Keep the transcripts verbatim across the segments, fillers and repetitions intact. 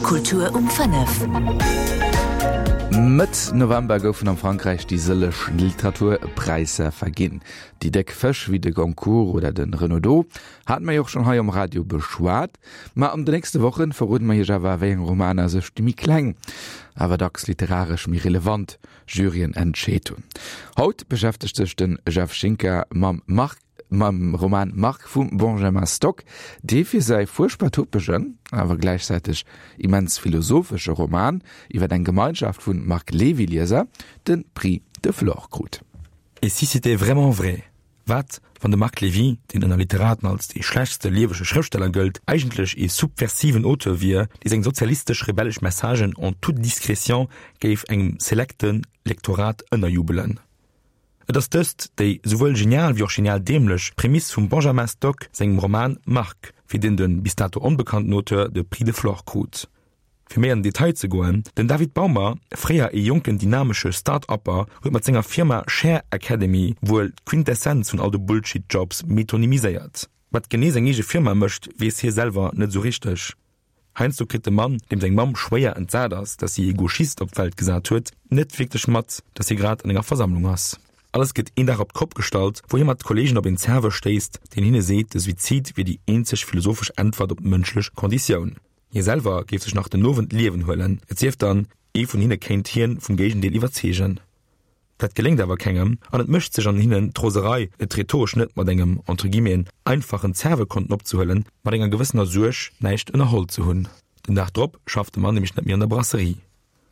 Kultur um fënnef. Mëtt November goufen am Frankräich déi sëlleg Literaturpräisser verginn. Déi déck Fësch wéi de Goncourt oder de Renaudot hate mer jo och schonn hei um Radio beschwat. Ma an de nächste Wochen verroden mer iech awer wéi eng Romaner sech déi méi kleng, awer dacks literaresch méi relevant Juryen entscheet hunn. Haut beschäftegt sech de Jeff Schinker mam Marc mam Roman Marc vum Benjamin Stock, dee fir säi fuerchtbar topegen, awer gläichzäiteg immens philosophesche Roman iwwer eng Gemeinschaft vu Marc-Levy-Lieser de Prix de Flore krut. Et si c'était vraiment vrai? Wat, wann de Marc Levy, deen ënner Literaten als dee schlechtste liewege Schrëftsteller gëllt, eigentlech ee subversiven Auteur wier, dee seng sozialistesch-rebellesch Messagen en toute discrétion géif engem selekte Lektorat ënnerjubelen? Et ass dëst déi souwuel genial wéi och genial däämlech Prämiss vum Benjamin Stock sengem Roman Marc, fir deen de bis dato onbekannten Auteur de Prix de Flore krut. Fir méi an den Detail ze goen, Den David Baumer, fréier ee jonken dynamesche Start-Upper, huet mat senger Firma Share Academy wuel d'Quintessenz vun all de Bullshit-Jobs metonymiséiert. Wat genee seng eege Firma mécht, weess hie selwer net esou richteg. Heiansdo kritt de Mann, deem seng Mamm schwéier entsat ass, dass si ee Gauchist op d'Welt gesat huet, net wierklech mat, dass hie grad an enger Versammlung ass. Alles gëtt een Dag op d'Kopp gestallt, wou hie mat Kolleegen op een Serveur stéisst, deen hinne seet, de Suizid wier déi eenzeg philosophesch Äntwert op d'mënschlech Konditioun. Hie selwer géif sech nach den Owend d'Liewen huelen, et sief dann, ee vun hinne kéint hien vum Géigendeel iwwerzeegen. Dat geléngt awer kengem an et mécht sech an hinnen d'Roserei, et rhetoresch net mat engem, entre guillemeten, einfachen Zerwe konnten opzehuelen, mat enger gewëssener Suerg, näischt ënnerholl ze hunn. Den Dag drop schafft de Mann nämlech net méi an der Brasserie.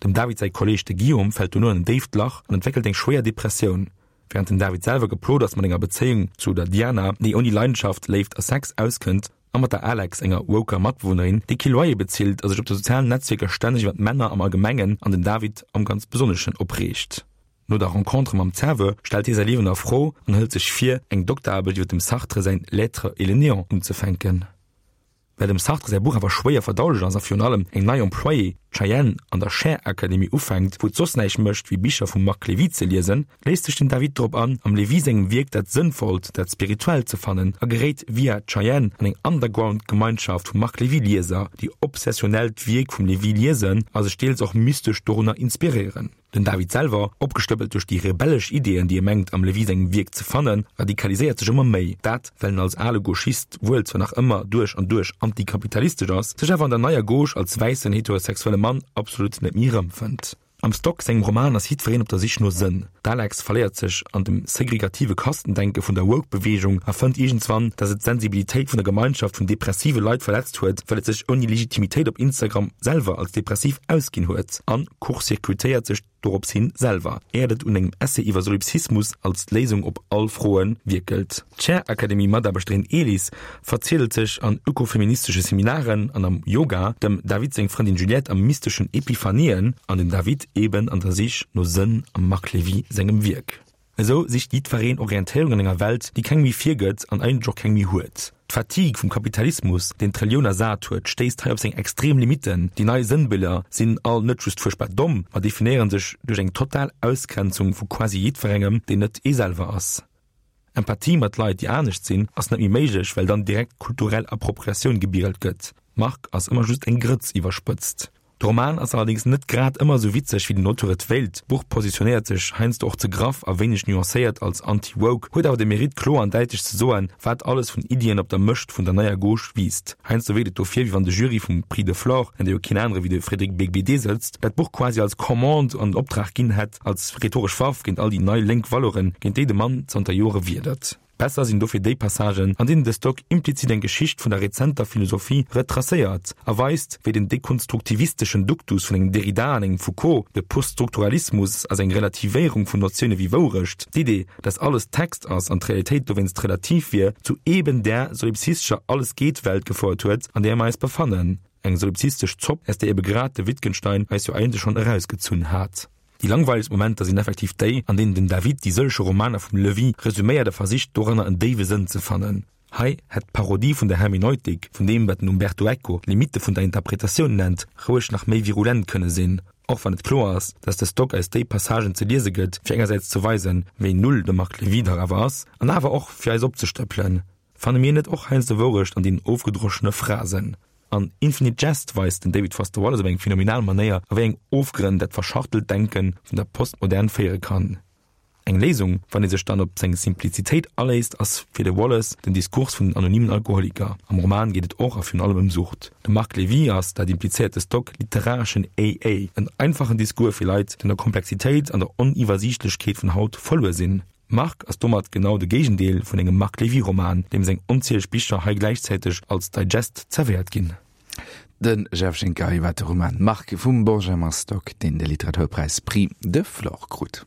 Dem David säi Kolleeg, de Guillaume, fält dono an en déift Lach an entwéckelt eng schwéier Depressioun. Wärend den David selwer geplot ass mat enger Bezéiung zu der Diana, déi ouni Leidenschaft, Léift a Sex auskënnt, a mat der Alex, enger woker Matbewunnerin, déi kee Loyer bezilt a sech op de sozialen Netzwierker stänneg iwwer d'Männer am Allgemengen an den David am ganz Besonneschen opreegt. No der Rencontre mam Zerwe stellt hie säi Liewen a Fro an hëlt sech vir, eng Dokteraarbecht iwwer dem Sartre säin L'être et le néant unzefänken. Well dem Sartre säi Buch awer schwéier verdaulech ass a virun allem eng nei Employée, d'Cheyenne, an der Share Academy ufänkt, wou et soss näischt mécht wéi Bicher vum Marc Levy ze liesen, léisst sech den David drop an, am Levy sengem Wierk dat Sënnvollt, dat Spirituellt ze fannen a geréit via d'Cheyenne an eng Underground-Gemeinschaft vu Marc Levy-Lieser, déi obsessionell d'Wierk vum Levy liesen a sech deels och mystesch dorunner inspiréieren. Den David selwer, opgestëppelt duerch déi rebellesch Ideeën, déi e mengt am Levy sengem Wierk ze fannen, radikaliséiert sech ëmmer méi. Dat, well en als ale Gauchist wuel zwar nach ëmmer duerch an duerch antikapitalistesch ass, sech awer an der neier Gauche als wäissen heterosexuelle Mann absolut net méi erëmfënnt. Am Stock sengem Roman ass jiddwereen op der Sich no Sënn. D'Alex verléiert sech an dem segregative Kastendenke vun der Woke-Beweegung a fënnt iergendswann, dass et d'Sensibilitéit vun der Gemeinschaft vun depressive Leit verletzt huet, well et sech ouni Legitimitéit op Instagram selwer als depressiv ausginn huet an court-circuitéiert sech dorops hin selwer, éiert et un engem Essay iwwer Solipsismus als d'Léisung op all Froe wierkelt. D'Share-Academy-Mataarbechterin Elis verziedelt sech an ökofeministesche Seminaren an am Yoga, dem David seng Frëndin Juliette a mysteschen Epiphanien an den David eben an der Sich no Sënn am Marc Levy sengem Wierk. Esou sicht jiddwereen Orientéierung an enger Welt, déi keng méi virgëtt an eigentlech och keng méi huet. D'Fatigue vum Kapitalismus, deen d'Relioun ersat huet, stéisst hei op seng extrem Limitten. Déi nei Sënnbiller sinn all net just fuerchtbar domm, ma definéiere sech duerch eng total Ausgrenzung vu quasi jiddwerengem, deen net ee selwer ass. Empathie mat Leit, déi anescht sinn, ass net méi méiglech, well dann direkt kulturell Appropriatioun gebierelt gëtt. Marc ass ëmmer just eng Grëtz iwwerspëtzt. De Roman ass allerdéngs net grad ëmmer esou witzeg, wéi den Auteur et wéilt. D'Buch positionéiert sech heiansdo och ze graff a wéineg nuancéiert als anti-woke, huet awer de Mérite kloer an däitlech ze soen, wat alles vun Iddien op der Mëscht vun der neier Gauche wiisst. Heiansdo wierkt et dofir, wéi wann de Jury vum Prix de Flore, an där jo keen anere wéi de Frédéric Beigbeder sëtzt, dat Buch quasi als Commande an Optrag ginn hätt, als rhetoresch Waff géint all déi nei lénk Valeuren, géint déi de Mann zanter Jore wiedert. Besser sinn dofir déi Passagen, an deenen de Stock implizit eng Geschicht vun der rezenter Philosophie retracéiert a weist, wéi den dekonstruktivisteschen Duktus vun engem Derrida an engem Foucault, de Poststrukturalismus a seng Relativéierung vun Notioune wéi Wourecht, d'Idee, dass alles Text ass an d'Realitéit dowéinst relativ wier, zu eben där solipsistescher Alles-geet-Welt gefouert huet, an där mer eis befannen. Eng solipsistesch Zopp, aus där ebe grad de Wittgenstein eis jo eigentlech schonn erausgezunn hat. Déi langweilegst Momenter sinn effektiv déi, an deenen den David déi sëllege Romaner vum Levy resuméiert a versicht, doranner en déiwe Sënn ze fannen. Hei hätt d'Parodie vun der Hermeneutik, vun deem, wat den Umberto Eco Limitte vun der Interpretatioun nennt, roueg nach méi virulent kënne sinn, och wann et kloer ass, dass de Stock eis déi Passagen ze liese gëtt, fir engersäits ze weisen, wéi null de Marc Levy dach awer ass, an awer och fir eis opzestëppelen. Fanne mir net och heiansdo Wourecht an deenen ofgedroschene Phrasen? An Infinite Jest weist den David Foster Wallace op eng phänomenal Manéier, a wéi eng Ofgrënn dat verschachtelt Denke vun der Postmodern féiere kann. Eng Léisung, wann ee sech dann op seng Simplizitéit aléisst, ass fir de Wallace den Diskurs vun den Anonymen Alkoholiker. Am Roman geet et och a virun allem ëm Sucht. De Marc Lévy ass, dat implizéiert de Stock, literareschen A A, en einfachen Discours fir Leit, déi an der Komplexitéit an der Oniwwersiichtlechkeet vun haut verluer sinn. Marc ass domat genau de Géigendeel vun engem Marc Lévy-Roman, deem seng onzieleg Bicher hei gläichzäiteg als Digest zerwéiert ginn. De Jeff Schinker iwwer de Roman Marc vum Benjamin Stock, deen de Literaturpräis Prix de Flore krut.